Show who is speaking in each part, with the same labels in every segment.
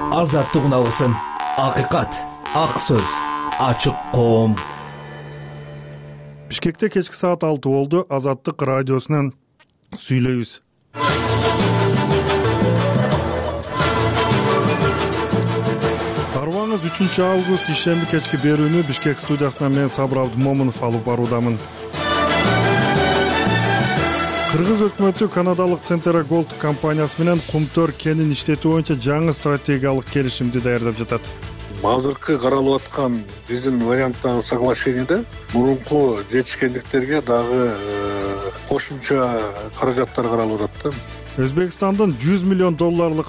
Speaker 1: Азаттык алгысың, акыйкат, ак сөз, ачык коом.
Speaker 2: Бишкекте кечки саат 6 болду. Азаттык радиосунан сүйлөйбүз. Арыбаңыз 3 август ишемби кечки берүүнү Бишкек студиясынан мен Сабыр Абдымомунов алып баруудамын. Кыргыз өкмөтү канадалык Centera Gold компаниясы менен Кумтөр кенин иштетүү боюнча жаңы стратегиялык келишимди даярдап жатат.
Speaker 3: Азыркы каралып аткан биздин варианттагы соглашениеде мурунку жетишкендиктерге дагы кошумча каражаттар каралып атат да.
Speaker 2: Өзбекстандын $100 миллион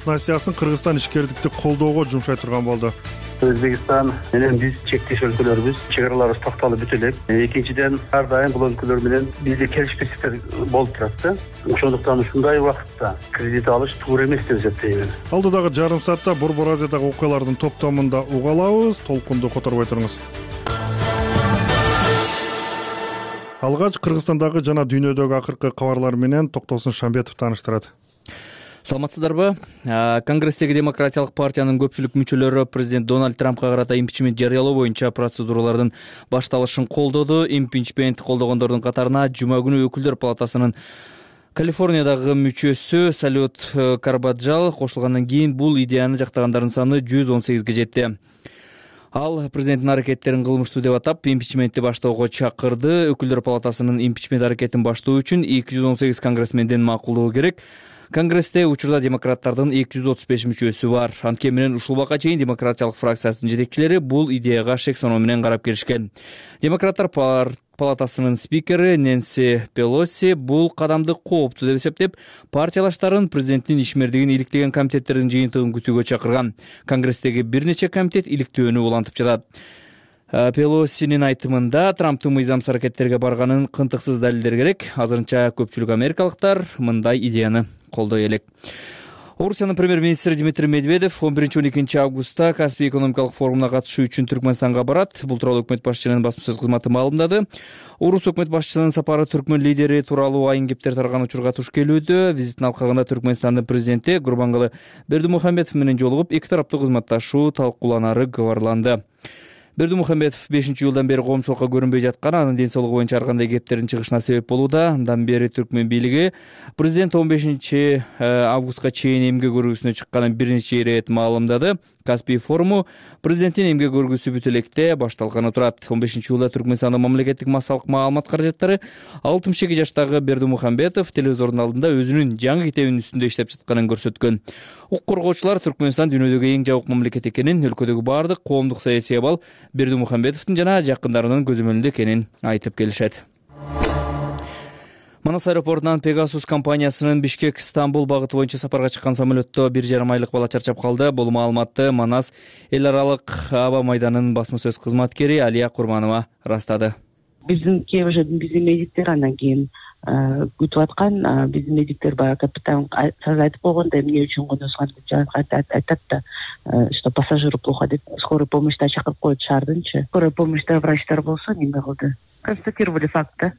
Speaker 2: насыясын Кыргызстан ишкердикти колдоого жумшай турган болду.
Speaker 4: Өзбекстан менен биз чектеш өлкөлөрбүз, чек араларыбыз токтолуп бүтө элек. Экинчиден ар дайым бул өлкөлөр менен бизде келишпестиктер болуп турат да. Ошондуктан ушундай убакытта кредит алыш туура эмес деп эсептейм.
Speaker 2: Алдыдагы жарым саатта Борбор Азиядагы окуялардын топтомунда уга алабыз. Толкунду которбой туруңуз. Алгач Кыргызстандагы жана дүйнөдөгү акыркы кабарлар менен Токтосун Шамбетов тааныштырат.
Speaker 5: Саламатсыздарбы? Конгресстеги Демократиялык партиянын көпчүлүк мүчөлөрү президент Дональд Трампка карата импичмент жарыялоо боюнча процедуралардын башталышын колдоду. Импичмент колдогондордун катарына жума күнү өкүлдөр палатасынын Калифорниядагы мүчөсү Салют Карбаджал кошулгандан кийин бул идеяны жактагандардын саны 118ге жетти. Ал президенттин аракеттерин кылмыштуу деп атап, импичментти баштоого чакырды. Өкүлдөр палатасынын импичмент аракетин баштоо үчүн 218 конгрессмендин макулдугу керек. Конгрессте учурда демократтардын 235 мүчөсү бар. Анткени менен ушул убакка чейин демократиялык фракциясынын жетекчилери бул идеяга шек соноо менен карап келишкен. Демократтар палатасынын спикери Нэнси Пелоси бул кадамды кооптуу деп эсептеп, партиялаштарын президенттин ишмердигин иликтеген комитеттердин жыйынтыгын күтүүгө чакырган. Конгресстеги бир нече комитет иликтөөнү улантып жатат. Пелосинин айтымында Трамптын мыйзамсыз аракеттерге барганын кынтыксыз далилдер керек. Азырынча көпчүлүк америкалыктар мындай идеяны колдой элек. Орусиянын премьер-министри Дмитрий Медведев 11-12 августта Каспий экономикалык форумуна катышуу үчүн Түркмөнстанга барат. Бул тууралуу өкмөт башчынын басма сөз кызматы маалымдады. Орус өкмөт башчысынын сапары түркмөн лидери тууралуу айын кептер тараган учурга туш келүүдө. Визиттин алкагында Түркмөнстандын президенти Гурбангулы Бердимухамедов менен жолугуп, эки тараптуу кызматташуу талкууланары кабарланды. Бердимухамедов 5-июлдан бери коомчулукка көрүнбөй жаткан, анын ден соолугу боюнча ар кандай кептердин чыгышына себеп болууда. Андан бери түркмөн бийлиги президент 15 августка чейин эмгек өргүсүнө чыкканын бир нече ирет маалымдады. Каспий форуму президенттин эмгек өргүсү бүт электе башталганы турат. 15-июлда Түркмөнстандын мамлекеттик массалык маалымат каражаттары 62 жаштагы Бердимухамедов телевизордун алдында өзүнүн жаңы китебинин үстүндө иштеп жатканын көрсөткөн. Укук коргоочулар Түркмөнстан дүйнөдөгү эң жабык мамлекет экенин, өлкөдөгү баардык коомдук саясий абал Бердимухамедовдун жана жакындарынын көзөмөлүндө экенин айтып келишет. Манас аэропортунан Pegasus компаниясынын Бишкек-Стамбул багыты боюнча сапарга чыккан самолетто 1,5 айлык бала чарчап калды. Бул маалыматты Манас эл аралык аба майданынын басма сөз кызматкери Алия Курманова растады.
Speaker 6: Биздин биздин медиктер андан кийин күтүп аткан, биздин медиктер баягы капитан айтып койгондой, эмне үчүн коносган деп айтат да, что пассажиру плохо деп скорый помощьта чакырып коюп шаардынчы. Скорый помощьта врачтар болсо неме кылды. Констатировали факт да.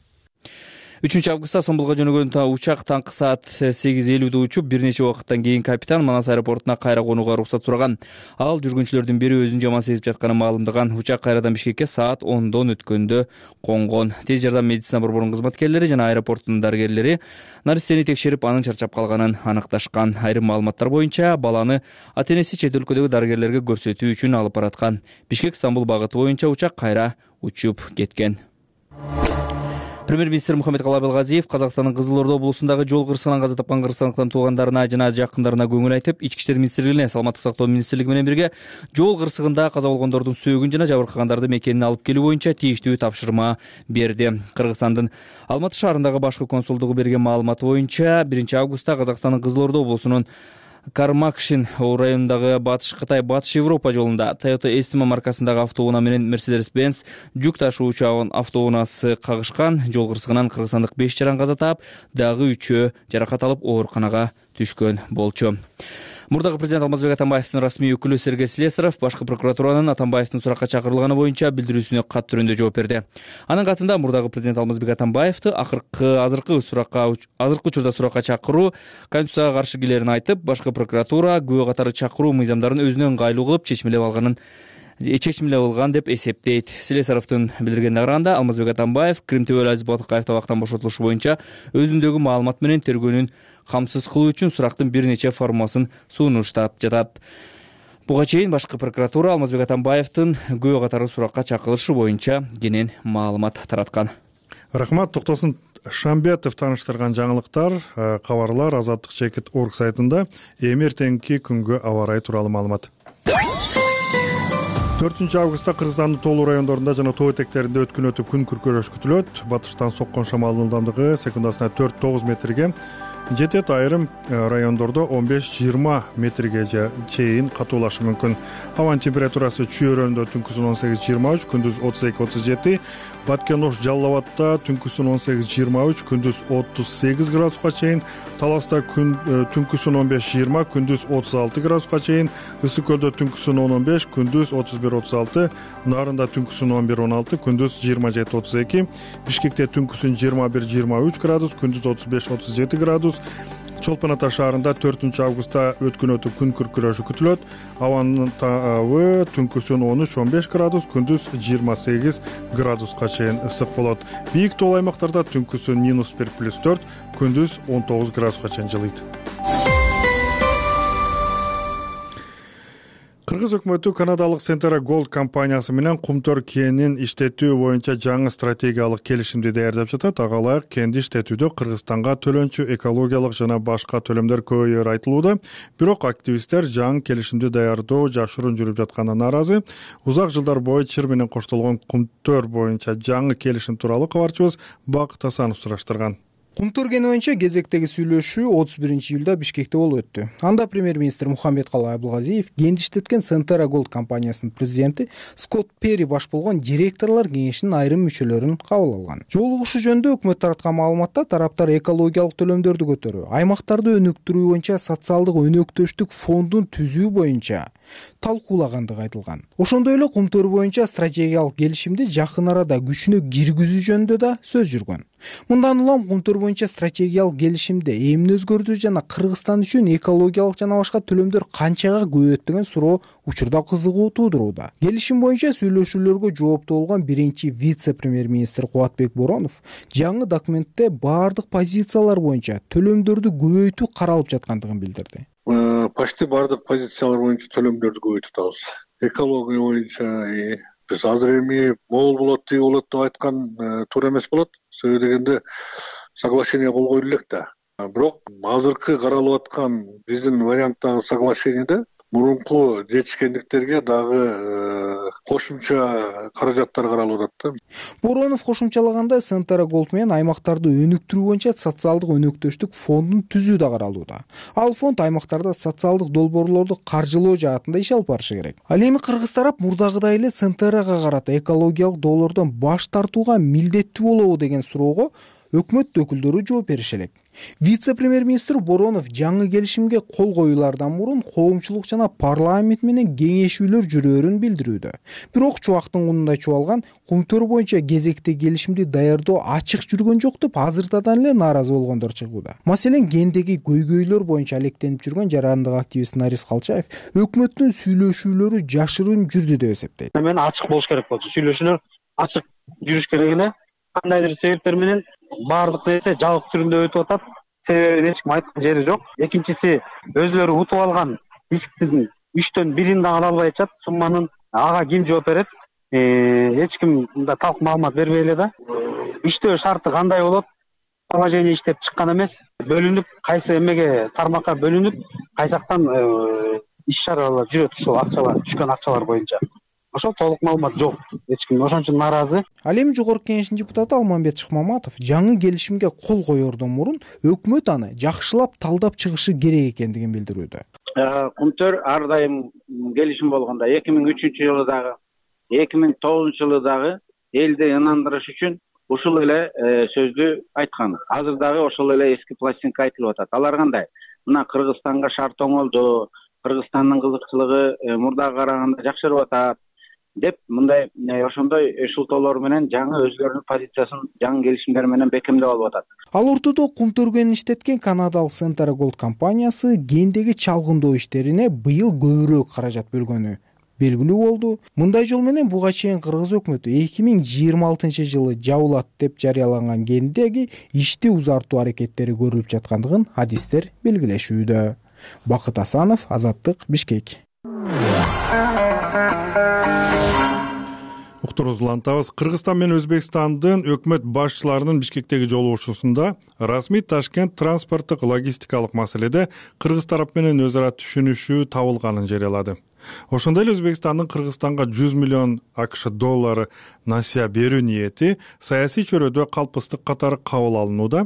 Speaker 5: 3 августта Стамбулга жөнөгөн учак таңкы саат 8:50 учуп, бир нече убакыттан кийин капитан Манас аэропортуна кайра конууга уруксат сураган. Ал жүргүнчүлөрдүн бири өзүн жаман сезип жатканын маалымдаган. Учак кайрадан Бишкекке саат 10дон өткөндө конгон. Тез жардам медицина борборунун кызматкерлери жана аэропорттун дарыгерлери наристени текшерип, анын чарчап калганын аныкташкан. Айрым маалыматтар боюнча баланы ата-энеси чет өлкөдөгү дарыгерлерге көрсөтүү үчүн алып бараткан. Бишкек-Стамбул багыты боюнча учак кайра учуп кеткен. Премьер-министр Мухаммед-Калай Абылгазиев Казакстандын Кызыл Ордо облусундагы жол кырсыгынан каза тапкан кыргызстандыктардын туугандарына жана жакындарына көңүл айтып, Ички иштер министрлигине, Саламаттык сактоо министрлиги менен бирге жол кырсыгында каза болгондордун сөөгүн жана жабыркагандарды мекенине алып келүү боюнча тийиштүү тапшырма берди. Кыргызстандын Алматы шаарындагы башкы консулдугу берген маалыматы боюнча 1 августта Казакстандын Кызыл Ордо облусунун Кармакшин районундагы Батыш Кытай Батыш Европа жолунда Toyota Estima маркасындагы автоунаа менен Mercedes-Benz жүк ташуучу автоунаасы кагышкан. Жол кырсыгынан кыргызстандык 5 жаран каза таап, дагы 3-өө жаракат алып ооруканага түшкөн болчу. Мурдагы президент Алмазбек Атамбаевдин расмий өкүлү Сергей Слесаров башкы прокуратуранын Атамбаевдин суракка чакырылганы боюнча билдирүүсүнө кат түрүндө жооп берди. Анын катында мурдагы президент Алмазбек Атамбаевди азыркы учурда суракка чакыруу Конституцияга каршы келерин айтып, башкы прокуратура күбө катары чакыруу мыйзамдарын өзүнө ыңгайлуу кылып чечмелеп алган деп эсептейт. Слесаровдун билдиргенине караганда, Алмазбек Атамбаев Крим Төбөлү Азиз Батыкаев абактан бошотулушу боюнча өзүндөгү маалымат менен тергөөнүн камсыз кылуу үчүн сурактын бир нече формасын сунуштап жатат. Буга чейин башкы прокуратура Алмазбек Атамбаевдин күбө катары суракка чакырылышы боюнча кенен маалымат тараткан.
Speaker 2: Рахмат, Токтосун Шамбетов тааныштырган жаңылыктар, кабарлар Азаттык Чекит орг сайтында. Эми эртеңки күнгө аба ырайы тууралуу маалымат. 4 августта Кыргызстандын тоолуу райондорунда жана тоо этектеринде өткөн өтүп күн күркөрөш күтүлөт. Батыштан соккон шамалдын ылдамдыгы секундасына 4-9 метрге жетет. Айрым райондордо 15-20 метрге чейин катуулашы мүмкүн. Абанын температурасы Чүй өрөөнүндө түнкүсүн 18-23, күндүз 32-37. Баткен Ош Жалал түнкүсүн 18-23, күндүз 38 градуска чейин. Таласта түнкүсүн 15-20, күндүз 36 градуска чейин. Ысык көлдө түнкүсүн 10-15, күндүз 31-36. Нарында түнкүсүн 11-16, күндүз 27-32. Бишкекте түнкүсүн 21-23 градус, күндүз 35-37 градус. Чолпон Ата шаарында 4 августта өткөн өтүп күн күркүрөшү күтүлөт. Абанын табы түнкүсүн 13-15 градус, күндүз 28 градуска чейин ысык болот. Бийик тоол аймактарда түнкүсүн -1+4, күндүз 19 градуска чейин жылыйт. Кыргыз өкмөтү канадалык Centera Gold компаниясы менен Кумтөр кенин иштетүү боюнча жаңы стратегиялык келишимди даярдап жатат. Ага ылайык кенди иштетүүдө Кыргызстанга төлөнчү экологиялык жана башка төлөмдөр көбөйөөрү айтылууда. Бирок активисттер жаңы келишимди даярдоо жашыруун жүрүп жатканына нааразы. Узак жылдар бою чыр менен коштолгон Кумтөр боюнча жаңы келишим тууралуу кабарчыбыз Бакыт Асанов сураштырган.
Speaker 7: Кумтөр кени боюнча кезектеги сүйлөшүү 31-июлда Бишкекте болуп өттү. Анда премьер-министр Мухаммедкалый Абылгазиев кенди иштеткен Centera Gold компаниясынын президенти Скотт Перри баш болгон директорлор кеңешинин айрым мүчөлөрүн кабыл алган. Жолугушуу жөнүндө өкмөт тараткан маалыматта тараптар экологиялык төлөмдөрдү көтөрүү, аймактарды өнүктүрүү боюнча социалдык өнөктөштүк фондун түзүү боюнча талкуулагандыгы айтылган. Ошондой эле Кумтөр боюнча стратегиялык келишимди жакын арада күчүнө киргизүү жөнүндө да сөз жүргөн. Мындан улам Кумтөр боюнча стратегиялык келишимде эмне өзгөрдү жана Кыргызстан үчүн экологиялык жана башка төлөмдөр канчага көбөйөт деген суроо учурда кызыгуу туудурууда. Келишим боюнча сүйлөшүүлөргө жооптуу болгон биринчи вице-премьер-министр Кубатбек Боронов жаңы документте баардык позициялар боюнча төлөмдөрдү көбөйтүү каралып жаткандыгын билдирди.
Speaker 3: Почти баардык позициялар боюнча төлөмдөрдү көбөйтүп атабыз. Экология боюнча биз азыр эми могул болот, тиги болот деп айткан туура эмес болот. Себеби дегенде соглашение кол коюлу элек да. Бирок азыркы каралып аткан биздин варианттагы соглашениеде мурунку жетишкендиктерге дагы кошумча каражаттар каралып атат да.
Speaker 7: Боронов кошумчалагандай Centera Gold менен аймактарды өнүктүрүү боюнча социалдык өнөктөштүк фондун түзүү да каралууда. Ал фонд аймактарда социалдык долбоорлорду каржылоо жаатында иш алып барышы керек. Ал эми кыргыз тарап мурдагыдай эле Centera'га карата экологиялык доолордон баш тартууга милдеттүү болобу деген суроого өкмөт өкүлдөрү жооп бериши элек. Вице-премьер-министр Боронов жаңы келишимге кол коюлардан мурун коомчулук жана парламент менен кеңешүүлөр жүрөөрүн билдирүүдө. Бирок чубактын кунундай чубалган Кумтөр боюнча кезекте келишимди даярдоо ачык жүргөн жок деп азыртадан эле нааразы болгондор чыгууда. Маселен, кендеги көйгөйлөр боюнча алектенип жүргөн жарандык активист Нарис Калчаев өкмөттүн сүйлөшүүлөрү жашыруун жүрдү деп эсептейт.
Speaker 4: Мен ачык болуш керек болчу. Сүйлөшүүлөр ачык жүрүш керек эле. Кандайдыр себептер менен баардык нерсе жабык түрүндө өтүп атат. Себебин эч ким айткан жери жок. Экинчиси, өзлөрү утуп алган исктин 3төн 1-ин да ала албай атышат. Сумманын ага ким жооп берет? Эч ким мында талк маалымат бербей эле да. Иштөө шарты кандай болот? Положение иштеп чыккан эмес. Бөлүнүп, кайсы эмеге тармакка бөлүнүп, кайсактан иш чаралар жүрөт ушул акчалар, түшкөн акчалар боюнча. Ошол толук маалымат жок. Эч ким ошон үчүн нааразы.
Speaker 7: Ал эми жогорку кеңештин депутаты Алмамбет Шыкмаматов жаңы келишимге кол коердон мурун өкмөт аны жакшылап талдап чыгышы керек экендигин билдирүүдө.
Speaker 8: Кумтөр ар дайым келишим болгондо 2003-жылы дагы, 2009-жылы дагы элди ынандырыш үчүн ушул эле сөздү айткан. Азыр дагы ошол эле эски пластинка айтылып атат. Алар кандай? мына Кыргызстанга шарт оңолду, Кыргызстандын кызыкчылыгы мурдага караганда жакшырып атат деп мындай ошондой шылтоолор менен жаңы өзлөрүнүн позициясын жаңы келишимдер менен бекемдеп алып атат.
Speaker 7: Ал ортодо кумтөргөнүн иштеткен канадалык Centara Gold компаниясы гендеги чалгындоо иштерине быйыл көбүрөөк каражат бөлгөнү белгилүү болду. Мындай жол менен буга чейин Кыргыз өкмөтү 2026-жылы жабылат деп жарыяланган гендеги ишти узартуу аракеттери көрүлүп жаткандыгын адистер белгилешүүдө. Бакыт Асанов, Азаттык, Бишкек.
Speaker 2: Уктуруңузду улантабыз. Кыргызстан менен Өзбекстандын өкмөт башчыларынын Бишкектеги жолугушуусунда расмий Ташкент транспорттук логистикалык маселеде Кыргыз тарап менен өз ара түшүнүшүү табылганын жарыялады. Ошондой эле Өзбекстандын Кыргызстанга 100 миллион АКШ доллары насыя берүү ниети саясий чөйрөдө калпыстык катары кабыл алынууда.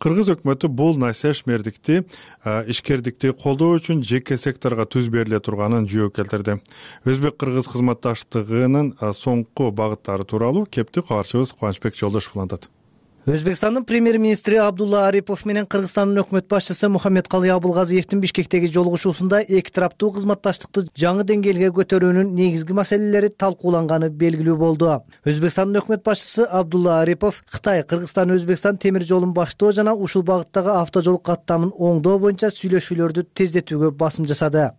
Speaker 2: Кыргыз өкмөтү бул насыя ишкердикти колдоо үчүн жеке секторго түз бериле турганын жөө келтирди. Өзбек-кыргыз кызматташтыгынын соңку багыттары тууралуу кепти кабарчыбыз Кубанычбек Жолдошов улантат.
Speaker 1: Өзбекстандын премьер-министри Абдулла Арипов менен Кыргызстандын өкмөт башчысы Мухаммедкалый Абылгазиевдин Бишкектеги жолугушуусунда эки тараптуу кызматташтыкты жаңы деңгээлге көтөрүүнүн негизги маселелери талкууланганы белгилүү болду. Өзбекстандын өкмөт башчысы Абдулла Арипов Кытай, Кыргызстан, Өзбекстан темир жолун баштоо жана ушул багыттагы автожол каттамын оңдоо боюнча сүйлөшүүлөрдү тездетүүгө басым жасады.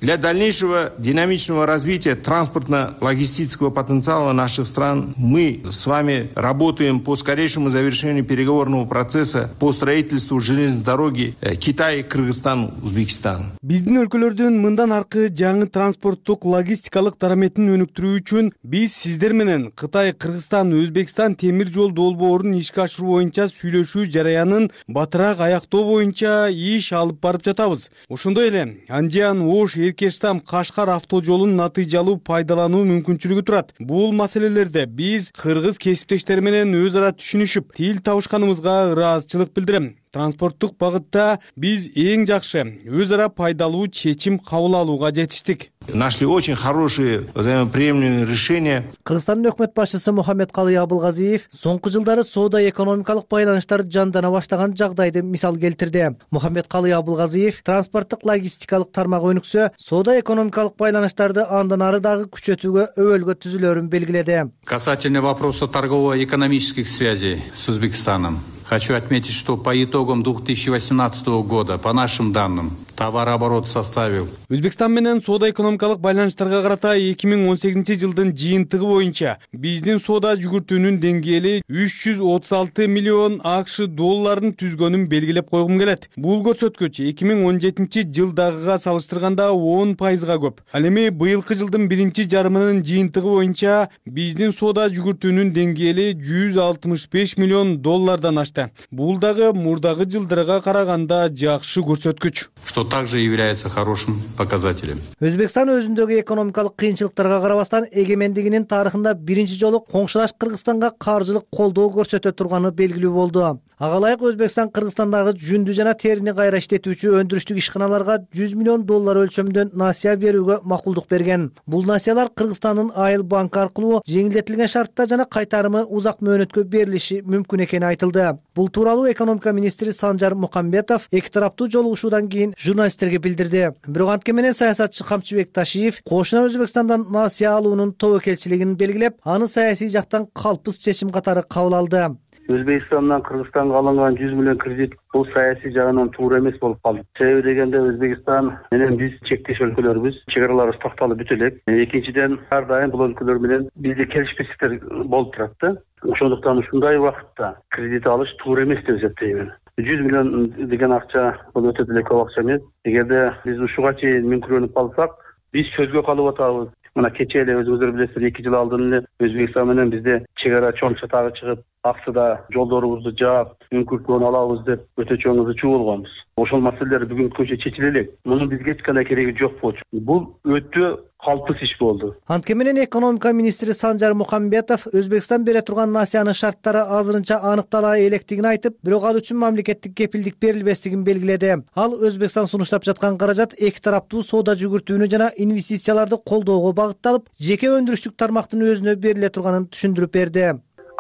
Speaker 9: Для дальнейшего динамичного развития транспортно-логистического потенциала наших стран мы с вами работаем по скорейшему завершению переговорного процесса по строительству железной дороги Китай, Кыргызстан, Узбекистан.
Speaker 10: Биздин өлкөлөрдүн мындан аркы жаңы транспорттук логистикалык дараметин өнүктүрүү үчүн биз сиздер менен Кытай, Кыргызстан, Өзбекстан темир жол долбоорун ишке ашыруу боюнча сүйлөшүү жараянын батыраак аяктоо боюнча иш алып барып жатабыз. Ошондой эле Анжан, Ош, Эркештам, Кашкар автожолун натыйжалуу пайдалануу мүмкүнчүлүгү турат. Бул маселелерде биз кыргыз кесиптештер менен өз ара түшүнүшүп, тил табышканыбызга ыраазычылык билдирем. Транспорттук багытта биз эң жакшы өз ара пайдалуу чечим кабыл алууга жетиштик.
Speaker 9: Нашли очень хорошие взаимоприемлемые решения.
Speaker 1: Кыргызстандын өкмөт башчысы Мухаммедкалый Абылгазиев соңку жылдары соода экономикалык байланыштар жандана баштаган жагдайды мисал келтирди. Мухаммедкалый Абылгазиев транспорттук логистикалык тармак өнүксө, соода экономикалык байланыштарды андан ары дагы күчөтүүгө өбөлгө түзүлөрүн белгиледи.
Speaker 11: Касательно вопроса торгово-экономических связей с Узбекистаном. Хочу отметить, что по итогам 2018 года, по нашим данным, товарооборот составил.
Speaker 10: Өзбекстан менен соода экономикалык байланыштарга карата 2018-жылдын жыйынтыгы боюнча биздин соода жүгүртүүнүн деңгээли 336 миллион АКШ долларын түзгөнүн белгилеп койгум келет. Бул көрсөткүч 2017-жылдагыга салыштырганда 10%га көп. Ал эми быйылкы жылдын биринчи жарымынын жыйынтыгы боюнча биздин соода жүгүртүүнүн деңгээли 165 миллион доллардан ашты. Бул дагы мурдагы жылдарга караганда жакшы көрсөткүч.
Speaker 11: Что также является хорошим показателем.
Speaker 1: Өзбекстан өзүндөгү экономикалык кыйынчылыктарга карабастан эгемендигинин тарыхында биринчи жолу коңшулаш Кыргызстанга каржылык колдоо көрсөтө турганы белгилүү болду. Ага ылайык Өзбекстан Кыргызстандагы жүндү жана терини кайра иштетүүчү өндүрүштүк ишканаларга 100 миллион доллар өлчөмдөн насыя берүүгө макулдук берген. Бул насыялар Кыргызстандын Айыл банк аркылуу жеңилдетилген шартта жана кайтарымы узак мөөнөткө берилиши мүмкүн экени айтылды. Бул тууралуу экономика министри Санжар Мукамбетов эки тараптуу жолугушуудан кийин журналисттерге билдирди. Бирок анткени менен саясатчы Камчыбек Ташиев кошуна Өзбекстандан насыя алуунун тобокелчилигин белгилеп, аны саясий жактан калпыс чечим катары кабыл алды.
Speaker 4: Өзбекстандан Кыргызстанга алынган 100 миллион кредит бул саясий жагынан туура эмес болуп калды. Себеби дегенде Өзбекстан менен биз чектеш өлкөлөрбүз, чек араларыбыз такталып бүтө элек. Экинчиден ар дайым бул өлкөлөр менен бизде келишпестиктер болуп турат да. Ошондуктан ушундай убакытта кредит алыш туура эмес деп эсептейм. 100 миллион деген акча бул өтө деле көп акча эмес. Эгерде биз ушуга чейин мүмкүнлүк калсак, биз сөзгө калып атабыз. Мына кечээ эле өзүңүздөр билесиздер, 2 жыл алдын эле Өзбекстан менен бизде чек ара чоң чатагы чыгып, аксыда жолдорубузду жаап, мүмкүнлүктөн алабыз деп өтө чоң ызычуу болгонбуз. Ошол маселелер бүгүнкү күнчө чечиле элек. Мунун бизге эч кандай кереги жок болчу. Бул өтө калпыс иш болду.
Speaker 1: Анткени менен экономика министри Санжар Мукамбетов Өзбекстан бере турган насыянын шарттары азырынча аныктала электигин айтып, бирок ал үчүн мамлекеттик кепилдик берилбестигин белгиледи. Ал Өзбекстан сунуштап жаткан каражат эки тараптуу соода жүгүртүүнү жана инвестицияларды колдоого багытталып, жеке өндүрүштүк тармактын өзүнө бериле турганын түшүндүрүп берди.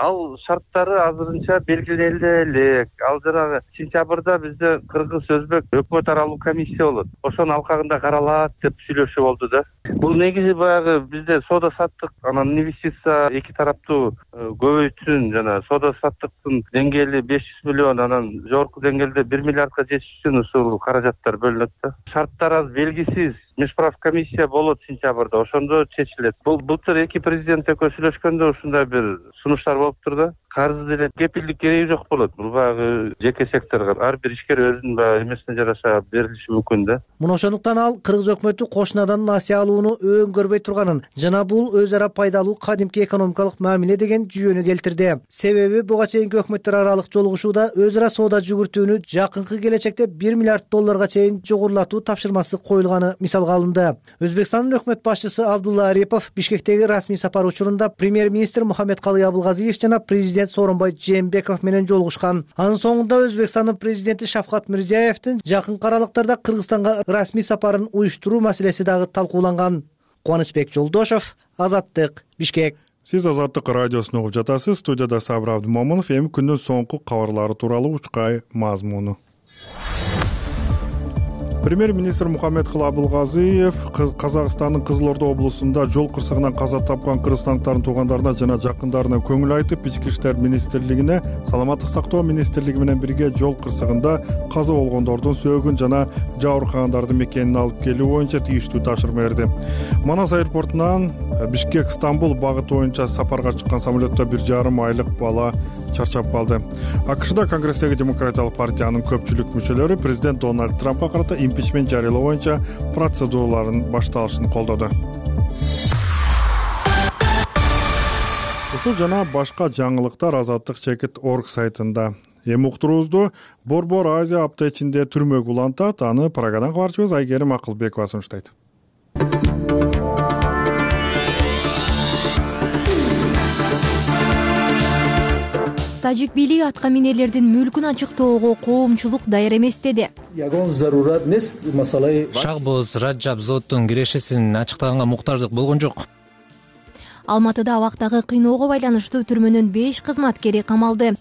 Speaker 12: Ал шарттары азырынча белгиленди элек. Ал жанагы сентябрда бизде кыргыз өзбек өкмөт аралык комиссия болот. Ошонун алкагында каралат деп сүйлөшүү болду да. Бул негизи баягы бизде соода саттык, анан инвестиция эки тараптуу көбөйтсүн, жана соода саттыктын деңгээли 500 миллион, анан жогорку деңгээлде 1 миллиардка жетиш үчүн ушул каражаттар бөлүнөт да. Шарттар аз белгисиз. Межправ комиссия болот сентябрда, ошондо чечилет. Бул былтыр эки президент экөө сүйлөшкөндө ушундай бир сунуштар болуптур да. Карыз деле кепилдик кереги жок болот. Бул баягы жеке секторго ар бир ишкер өзүнүн баягы эмесине жараша берилиши мүмкүн да.
Speaker 1: Муну ошондуктан ал кыргыз өкмөтү кошунадан насыя алууну өңгөрбөй турганын жана бул өз ара пайдалуу кадимки экономикалык мамиле деген жүйөнү келтирди. Себеби буга чейинки өкмөттөр аралык жолугушууда өз ара соода жүгүртүүнү жакынкы келечекте 1 миллиард долларга чейин жогорулатуу тапшырмасы коюлганы мисалга алынды. Өзбекстандын өкмөт башчысы Абдулла Арипов Бишкектеги расмий сапар учурунда премьер-министр Мухаммедкалый Абылгазиев жана президент Сооронбай Жээнбеков менен жолугушкан. Анын соңунда Өзбекстандын президенти Шавкат Мирзиевдин жакынкы аралыктарда Кыргызстанга расмий сапарын уюштуруу маселеси дагы талкууланган. Кубанычбек Жолдошов, Азаттык, Бишкек.
Speaker 2: Сиз Азаттык радиосун угуп жатасыз. Студияда Сабыр Абдымомунов. Эми күндүн соңку кабарлары тууралуу учкай мазмуну. Премьер-министр Мухаммедкалый Абылгазиев Казакстандын Кызылорда облусунда жол кырсыгынан каза тапкан кыргызстандыктардын туугандарына жана жакындарына көңүл айтып, Ички иштер министрлигине, Саламаттык сактоо министрлиги менен бирге жол кырсыгында каза болгондордун сөөгүн жана жабыркагандардын мекенин алып келүү боюнча тийиштүү тапшырма берди. Манас аэропортунан Бишкек-Стамбул багыты боюнча сапарга чыккан самолетто 1,5 айлык бала чарчап калды. АКШда Конгресстеги Демократиялык партиянын көпчүлүк мүчөлөрү президент Дональд Трампка карата импичмент жарыялоо боюнча процедуралардын башталышын колдоду. Ушул жана башка жаңылыктар Азаттык.org сайтында. Эми уктуруубузду Борбор Азия апта ичинде түрмөгө улантат. Аны Прагадан кабарчыбыз Айгерим Акылбекова сунуштайт.
Speaker 13: Тажик бийлиги атка минерлердин мүлкүн ачыктоого коомчулук даяр эмес деди.
Speaker 14: Шахбоз Раджабзоддун кирешесин ачыктаганга муктаждык болгон жок.
Speaker 13: Алматыда абактагы кыйноого байланыштуу түрмөнүн 5 кызматкери камалды.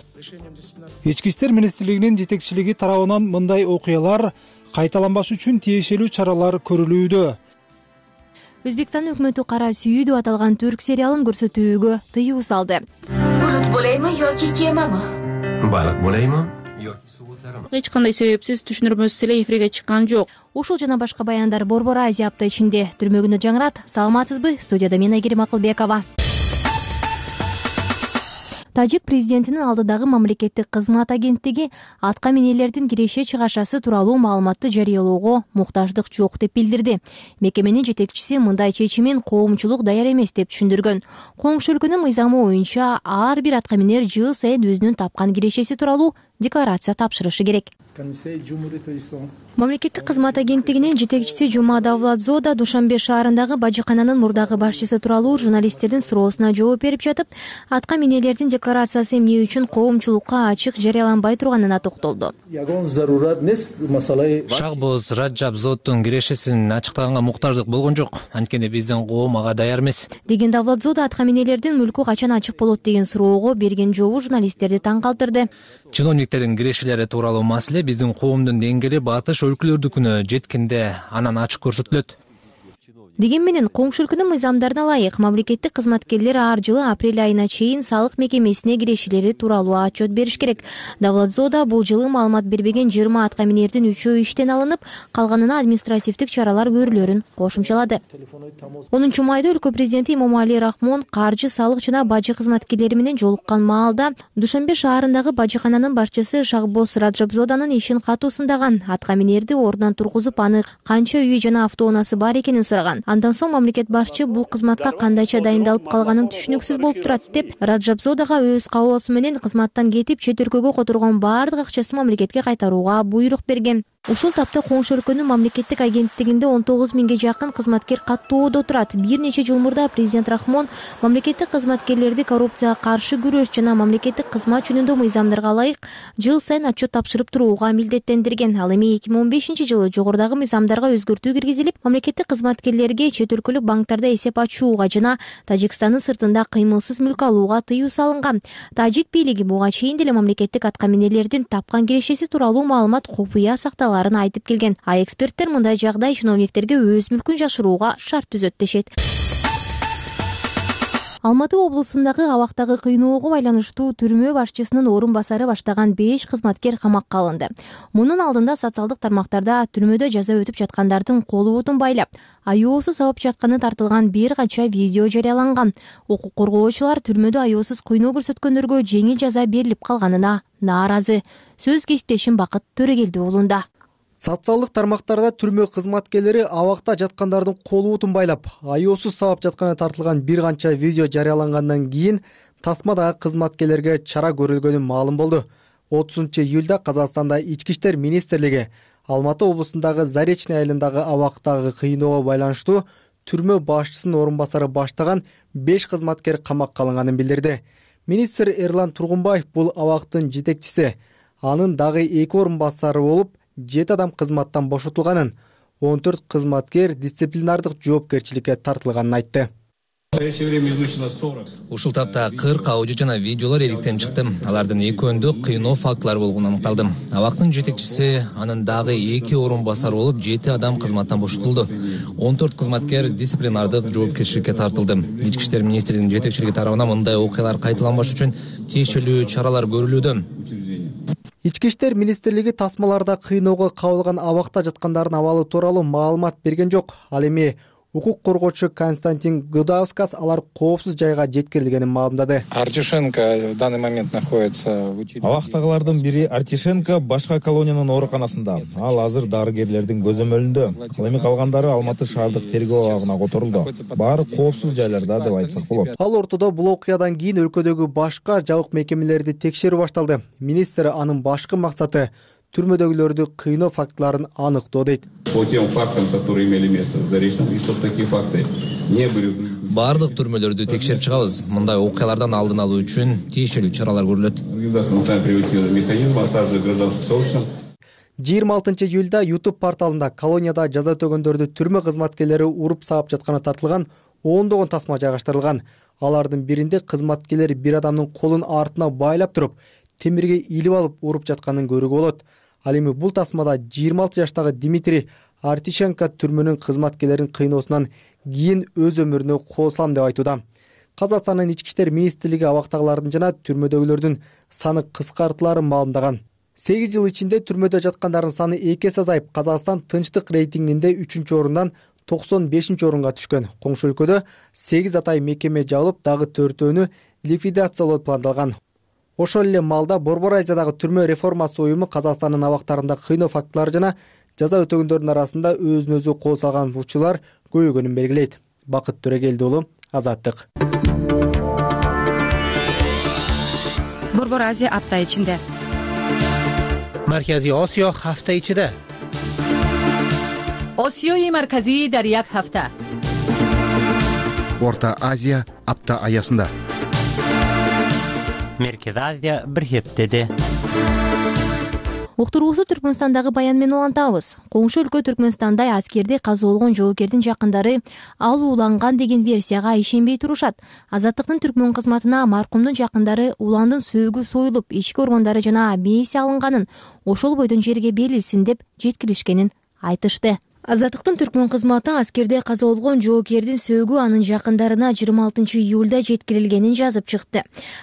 Speaker 7: Ички иштер министрлигинин жетекчилиги тарабынан мындай окуялар кайталанбаш үчүн тиешелүү чаралар көрүлүүдө.
Speaker 13: Өзбекстан өкмөтү Кара сүйүү деп аталган түрк сериалын көрсөтүүгө тыюу салды.
Speaker 15: Булут болейми yoki кемами?
Speaker 16: Балык болейми?
Speaker 15: Эч кандай себепсиз түшүндүрмөсүз эле эфирге чыккан жок.
Speaker 13: Ушул жана башка баяндар Борбор Азия апта ичинде. Түрмөгүнө жаңырат. Саламатсызбы? Студияда мен Айгерим Акылбекова. Тажик президентинин алдыдагы мамлекеттик кызмат агенттиги атка минерлердин киреше чыгашасы тууралуу маалыматты жарыялоого муктаждык жок деп билдирди. Мекеменин жетекчиси мындай чечимин коомчулук даяр эмес деп түшүндүргөн. Коңшу өлкөнүн мыйзамы боюнча ар бир атка минер жыл сайын өзүнүн тапкан кирешеси тууралуу декларация тапшырышы керек. Мамлекеттик кызмат агенттигинин жетекчиси Жума Давлатзода Душанбе шаарындагы бажыкананын мурдагы башчысы тууралуу журналисттердин суроосуна жооп берип жатып, атка минерлердин декларациясы эмне үчүн коомчулукка ачык жарыяланбай турганына токтолду.
Speaker 14: Шахбоз Раджабзоддун кирешесин ачыктаганга муктаждык болгон жок. Анткени биздин коом ага даяр эмес.
Speaker 13: Деген Давлатзода атка минерлердин мүлкү качан ачык болот деген суроого берген жообу журналисттерди таң калтырды.
Speaker 14: Чиновниктердин кирешелери тууралуу маселе биздин коомдун деңгээли батыш өлкөлөрдүкүнө жеткенде анан ачык көрсөтүлөт.
Speaker 13: Деген менен коңшу өлкөнүн мыйзамдарына ылайык мамлекеттик кызматкерлер ар жылы апрель айына чейин салык мекемесине кирешелери тууралуу отчет бериш керек. Давлатзода бул жылы маалымат бербеген 20 атка минердин 3-өө иштен алынып, калганына административдик чаралар көрүлөрүн кошумчалады. 10 майда өлкө президенти Имомали Рахмон каржы, салык жана бажы кызматкерлери менен жолуккан маалда Душанбе шаарындагы бажыкананын башчысы Шахбоз Раджабзоданын ишин катуу сындаган, атка минерди ордунан тургузуп, аны канча үйү жана автоунаасы бар экенин сураган. Андан соң мамлекет башчы бул кызматка кандайча дайындалып калганын түшүнүксүз болуп турат деп, Раджабзодага өз каалоосу менен кызматтан кетип чет өлкөгө которгон баардык акчасын мамлекетке кайтарууга буйрук берген. Ушул тапта коңшу өлкөнүн мамлекеттик агенттигинде 19 миңге жакын кызматкер каттоодо турат. Бир нече жыл мурда президент Рахмон мамлекеттик кызматкерлерди коррупцияга каршы күрөш жана мамлекеттик кызмат жөнүндө мыйзамдарга ылайык жыл сайын отчет тапшырып турууга милдеттендирген. Ал эми 2015-жылы жогорудагы мыйзамдарга өзгөртүү киргизилип, мамлекеттик кызматкерлерге чет өлкөлүк банктарда эсеп ачууга жана Тажикстандын сыртында кыймылсыз мүлк алууга тыюу салынган. Тажик бийлиги буга чейин деле мамлекеттик аткаминерлердин тапкан кирешеси тууралуу маалымат купуя сакталган айтып келген. Эксперттер мындай жагдай чиновниктерге өз мүлкүн жашырууга шарт түзөт дешет. Алматы облусундагы абактагы кыйноого байланыштуу түрмө башчысынын орун басары баштаган 5 кызматкер камакка алынды. Мунун алдында социалдык тармактарда түрмөдө жаза өтүп жаткандардын колу бутун байлап, аяоосуз сабап жатканы тартылган бир канча видео жарыяланган. Укук коргоочулар түрмөдө аяоосуз кыйноо көрсөткөндөргө жеңил жаза берилип калганына нааразы. Сөз кесиптешим Бакыт Төрөгелди уулунда.
Speaker 7: Социалдык тармактарда түрмө кызматкерлери абакта жаткандардын колу бутун байлап, аяоосуз сабап жатканы тартылган бир канча видео жарыялангандан кийин тасмадагы кызматкерлерге чара көрүлгөнү маалым болду. 30-июлда Казакстанда Ички иштер министрлиги Алматы облусундагы Заречный айылындагы абактагы кыйноого байланыштуу түрмө башчысынын орун басары баштаган 5 кызматкер камакка алынганын билдирди. Министр Эрлан Тургунбаев бул абактын жетекчиси, анын дагы 2 орун басары болуп 7 адам кызматтан бошотулганын, 14 кызматкер дисциплинардык жоопкерчиликке тартылганын айтты.
Speaker 14: Ушул тапта 40 аудио жана видеолор иликтенип чыкты. Алардын экөөндө кыйноо фактылары болгону аныкталды. Абактын жетекчиси, анын дагы 2 орун басары болуп 7 адам кызматтан бошотулду. 14 кызматкер дисциплинардык жоопкерчиликке тартылды. Ички иштер министрлигинин жетекчилиги тарабынан мындай окуялар кайталанбаш үчүн тиешелүү чаралар көрүлүүдө.
Speaker 7: Ички иштер министрлиги тасмаларда кыйноого кабылган абакта жаткандардын абалы тууралуу маалымат берген жок. Ал эми укук коргоочу Константин Гудаускас алар коопсуз жайга жеткирилгенин маалымдады.
Speaker 16: Артишенко в данный момент находится. Абактагылардын бири Артишенко башка колониянын ооруканасында. Ал азыр дарыгерлердин көзөмөлүндө. Ал эми калгандары Алматы шаардык тергөө абагына которулду. Баары коопсуз жайларда деп айтсак болот.
Speaker 7: Ал ортодо бул окуядан кийин өлкөдөгү башка жабык мекемелерди текшерүү башталды. Министр анын башкы максаты түрмөдөгүлөрдү кыйноо фактыларын аныктоо дейт.
Speaker 17: По тем фактам, которые имели место в Заречном, и чтобы такие факты не были.
Speaker 14: Бардык түрмөлөрдү текшерип чыгабыз. Мындай окуялардан алдын алуу үчүн тиешелүү чаралар көрүлөт.
Speaker 7: 26-июлда YouTube порталында колонияда жаза өтөгөндөрдү түрмө кызматкерлери уруп сабап жатканы тартылган 10 тасма жайгаштырылган. Алардын биринде кызматкерлер бир адамдын колун артына байлап туруп, темирге илип алып уруп жатканын көрүүгө болот. Ал эми бул тасмада 26 жаштагы Дмитрий Артишенко түрмөнүн кызматкерлерин кыйноосунан кийин өз өмүрүнө кол салам деп айтууда. Казакстандын ички иштер министрлиги абактагылардын жана түрмөдөгүлөрдүн саны кыскартыларын маалымдаган. 8 жыл ичинде түрмөдө жаткандардын саны 2 эсе азайып, Казакстан тынчтык рейтингинде 3-орундан 95-орунга түшкөн. Коңшу өлкөдө 8 атай мекеме жабылып, дагы 4-өөнү ликвидациялоо пландалган. Ошол эле маалда Борбор Азиядагы түрмө реформасы уюму Казакстандын абактарында кыйноо фактылары жана жаза өтөгөндөрдүн арасында өзүн өзү кол салган учурлар көбөйгөнүн белгилейт. Бакыт Төрөгелди уулу, Азаттык.
Speaker 18: Борбор Азия апта ичинде.
Speaker 19: Марказий Осиё ҳафта ичида.
Speaker 18: Осиёи марказӣ дар як ҳафта.
Speaker 20: Орта Азия апта аясында.
Speaker 19: Меркез Азия бир хептеде.
Speaker 13: Уктуруусу Түркмөнстандагы баян менен улантабыз. Коңшу өлкө Түркмөнстанда аскерди казоолгон жоокердин жакындары ал ууланган деген версияга ишенбей турушат. Азаттыктын түркмөн кызматына маркумдун жакындары уландын сөөгү союлуп, ички органдары жана мээси алынганын, ошол бойдон жерге берилсин деп жеткиришкенин айтышты. Азаттыктын түркмөн кызматы аскерде каза болгон жоокердин сөөгү анын жакындарына 26-июлда жеткирилгенин жазып чыкты.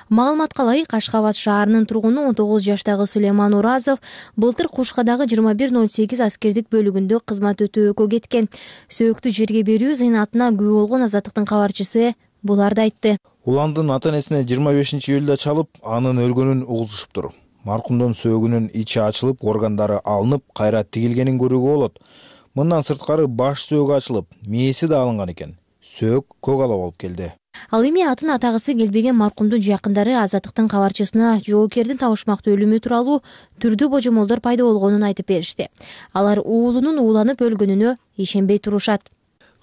Speaker 13: Маалыматка ылайык, Ашхабад шаарынын тургуну 19 жаштагы Сулейман Уразов былтыр Кушкадагы 2108 аскердик бөлүгүндө кызмат өтөөгө кеткен. Сөөктү жерге берүү зыйнатына күбө болгон Азаттыктын кабарчысы буларды айтты.
Speaker 16: Уландын ата-энесине 25-июлда чалып, анын өлгөнүн угузушуптур. Маркумдун сөөгүнүн ичи ачылып, органдары алынып, кайра тигилгенин көрүүгө болот. Мындан сырткары баш сөөгү ачылып, мээси да алынган экен. Сөөк көк ала болуп келди.
Speaker 13: Ал эми атын атагысы келбеген маркумдун жакындары Азаттыктын кабарчысына жоокердин табышмактуу өлүмү тууралуу түрдүү божомолдор пайда болгонун айтып беришти. Алар уулунун ууланып өлгөнүнө ишенбей турушат.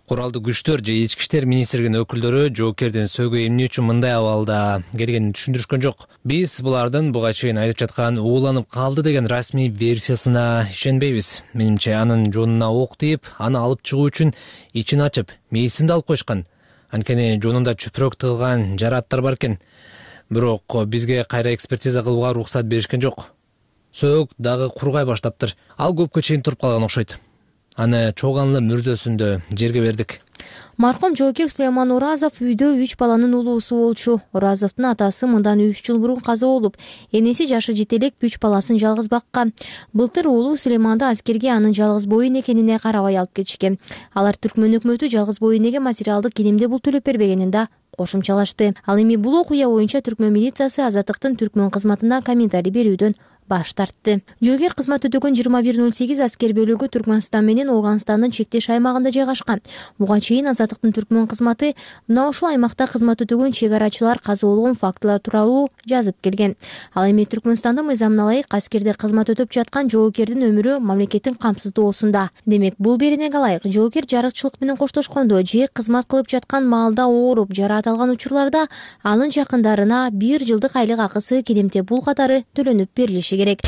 Speaker 14: Куралдуу күчтөр же ички иштер министрлигинин өкүлдөрү жоокердин сөөгү эмне үчүн мындай абалда келгенин түшүндүрүшкөн жок. Биз булардын буга чейин айтып жаткан ууланып калды деген расмий версиясына ишенбейбиз. Менимче анын жонуна ок тийип, аны алып чыгуу үчүн ичин ачып, мээсин да алып коюшкан. Анткени жонунда чүпүрөк тыгылган жараттар бар экен. Бирок бизге кайра экспертиза кылууга уруксат беришкен жок. Сөөк дагы кургай баштаптыр. Ал көпкө чейин туруп калган окшойт. Аны чоганлы мүрзөсүндө жерге бердик.
Speaker 13: Маркум жоокер Сулейман Оразов үйдө 3 баланын улуусу болчу. Оразовдун атасы мындан 3 жыл мурун каза болуп, энеси жашы жете элек 3 баласын жалгыз баккан. Былтыр уулу Сулейманды аскерге анын жалгыз боюн экенине карабай алып кетишкен. Алар Түркмөн өкмөтү жалгыз боюн эге материалдык кенемде бул төлөп бербегенин да кошумчалашты. Ал эми бул окуя боюнча Түркмөн милициясы Азаттыктын Түркмөн кызматына комментарий берүүдөн баш тартты. Жоокер кызмат өтөгөн 2108 аскер бөлүгү Түркмөнстан менен Ооганстандын чектеш аймагында жайгашкан. Буга чейин Азаттыктын Түркмөн кызматы мына ушул аймакта кызмат өтөгөн чек арачылар каза болгон фактылар тууралуу жазып келген. Ал эми Түркмөнстандын мыйзамына ылайык аскерде кызмат өтөп жаткан жоокердин өмүрү мамлекеттин камсыздоосунда. Демек, бул беренеге ылайык жоокер жарыкчылык менен коштошкондо же кызмат кылып жаткан маалда ооруп жараат алган учурларда анын жакындарына 1 жылдык айлык акысы кенемте бул катары төлөнүп берилиши керек.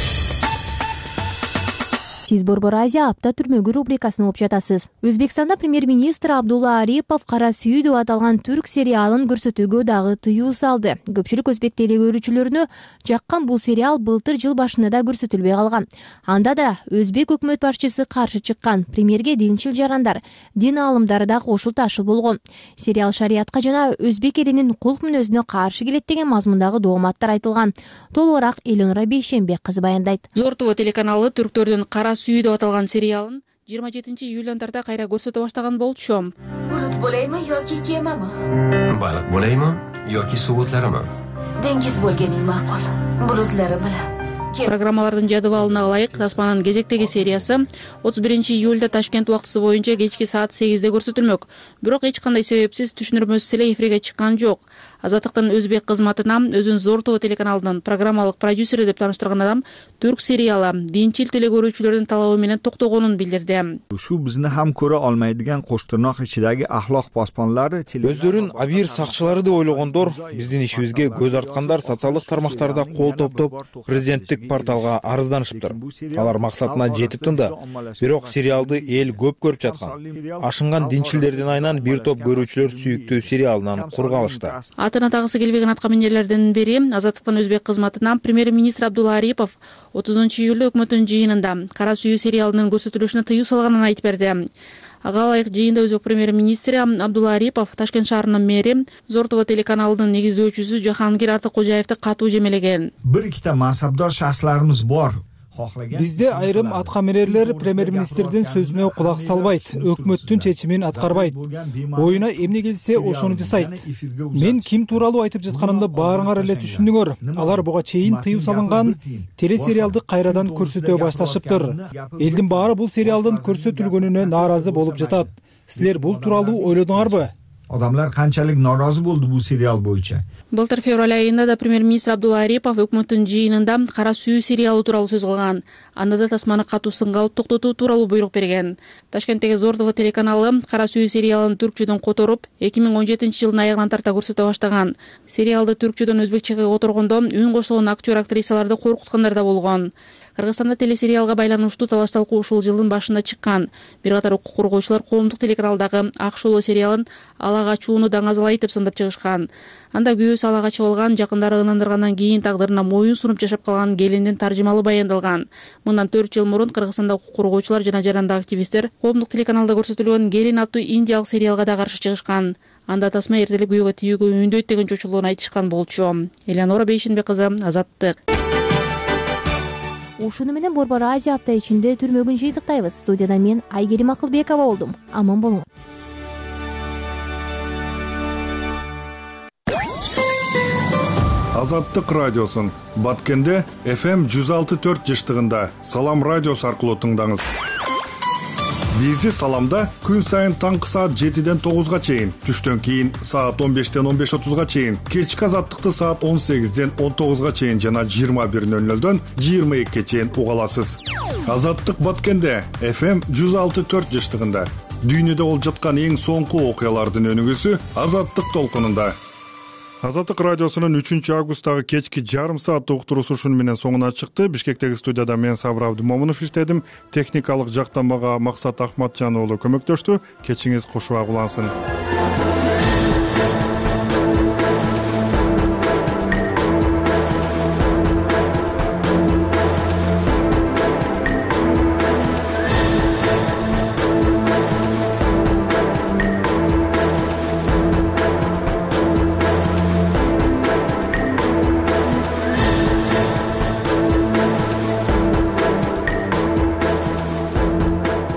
Speaker 13: Сиз Борбор Азия апта түрмөгү рубрикасын угуп жатасыз. Өзбекстанда премьер-министр Абдулла Арипов Кара сүйүү деп аталган түрк сериалын көрсөтүүгө дагы тыюу салды. Көпчүлүк өзбек теле көрүүчүлөрүнө жаккан бул сериал былтыр жыл башында да көрсөтүлбөй калган. Анда да өзбек өкмөт башчысы каршы чыккан. Премьерге динчил жарандар, дин аалымдары да кошул ташыл болгон. Сериал шариятка жана өзбек элинин кулк мүнөзүнө каршы келет деген мазмундагы дооматтар айтылган. Толугураак Эленора Бейшембек кызы баяндайт.
Speaker 15: Зор ТВ телеканалы түрктөрдүн Кара сүйүү деп аталган сериалын 27-июляндарда кайра көрсөтө баштаган болчу.
Speaker 21: Bulut bo'laymi yoki kemami?
Speaker 22: Baliq bo'laymi yoki suvutlarimi?
Speaker 21: Dengiz bo'lganing ma'qul. Bulutlari bilan.
Speaker 15: Программалардын жадыбалына ылайык таспанын кезектеги сериясы 31-июлда Ташкент убактысы боюнча кечки саат 8-де көрсөтүлмөк. Бирок эч кандай себепсиз түшүндүрмөсүз эле эфирге чыккан жок. Азаттыктын өзбек кызматына өзүн Зор ТВ телеканалынын программалык продюсери деп тааныштырган адам түрк сериалы динчил теле көрүүчүлөрдүн талабы менен токтогонун билдирди.
Speaker 23: Shu bizni ham ko'ra olmaydigan qo'shtirnoq ichidagi axloq posbonlari
Speaker 16: өздөрүн абийир сакчылары деп ойлогондор, биздин ишибизге көз арткандар социалдык тармактарда кол топтоп президенттик порталга арызданышыптыр. Алар максатына жетип тынды. Бирок сериалды эл көп көрүп жаткан. Ашынган динчилдердин айынан бир топ көрүүчүлөр сүйүктүү сериалынан кург алышты.
Speaker 15: Атын атагысы келбеген аткаминерлердин бири Азаттыктын өзбек кызматына премьер-министр Абдулла Арипов 30-июлда өкмөттүн жыйынында Кара сүйүү сериалынын көрсөтүлүшүнө тыюу салганын айтып берди. Ага ылайык жыйында өзбек премьер-министри Абдулла Арипов Ташкент шаарынын мэри, Зор ТВ телеканалынын негиздөөчүсү Жахангир Артыккожаевди катуу жемелеген.
Speaker 23: Bir ikkita mansabdor shaxslarimiz bor.
Speaker 7: Бизде айрым аткаминерлер премьер-министрдин сөзүнө кулак салбайт, өкмөттүн чечимин аткарбайт. Оюна эмне келсе ошону жасайт. Мен ким тууралуу айтып жатканымды баарыңар эле түшүндүңөр. Алар буга чейин тыюу салынган телесериалды кайрадан көрсөтө башташыптыр. Элдин баары бул сериалдын көрсөтүлгөнүнө нааразы болуп жатат. Силер бул тууралуу ойлодуңарбы?
Speaker 23: Odamlar qanchalik norozi bo'ldi bu serial bo'yicha.
Speaker 15: Былтыр февраль айында да премьер-министр Абдулла Арипов өкмөттүн жыйынында Кара сүйүү сериалы тууралуу сөз кылган. Анда да тасманы катуу сынга алып токтотуу тууралуу буйрук берген. Ташкенттеги Зор ТВ телеканалы Кара сүйүү сериалын түркчөдөн которуп, 2017-жылдын аягынан тарта көрсөтө баштаган. Сериалды түркчөдөн өзбекчеге которгондо үн кошулгон актер-актрисаларды коркуткандар да болгон. Кыргызстанда телесериалга байланыштуу талаш-талкуу ушул жылдын башында чыккан. Бир катар укук коргоочулар коомдук телеканалдагы Ак шооло сериалын ала качууну даңазалайт деп сындап чыгышкан. Анда күйөөсү ала качып алган, жакындары ынандыргандан кийин тагдырына моюн сунуп жашап калган келиндин таржымалы баяндалган. Мындан 4 жыл мурун Кыргызстанда укук коргоочулар жана жарандык активисттер коомдук телеканалда көрсөтүлгөн Келин аттуу индиялык сериалга да каршы чыгышкан. Анда тасма эртелеп күйөөгө тийүүгө үндөйт деген чочулууну айтышкан болчу. Эленора Бейшембек кызы, Азаттык.
Speaker 13: Ушуну менен Борбор Азия апта ичинде түрмөгүн жыйынтыктайбыз. Студияда мен Айгерим Акылбекова болдум. Аман болуңуз.
Speaker 2: Азаттык радиосун Баткенде FM 106.4 жыштыгында Салам радиосу аркылуу тыңдаңыз. Бизди Саламда күн сайын таңкы саат 7-ден 9-га чейин, түштөн кийин саат 15-ден 15:30-га чейин, кечки азаттыкты саат 18-ден 19-га чейин жана 21:00-дөн 22-ге чейин уга аласыз. Азаттык Баткенде FM 106.4 жыштыгында. Дүйнөдө болуп жаткан эң соңку окуялардын өнүгүүсү Азаттык толкунунда. Азаттык радиосунун 3-августтагы кечки жарым саат уктуруусу ушуну менен соңуна чыкты. Бишкектеги студияда мен Сабыр Абдымомунов иштедим. Техникалык жактан мага Максат Ахматжан уулу көмөктөштү. Кечиңиз кошуак улансын.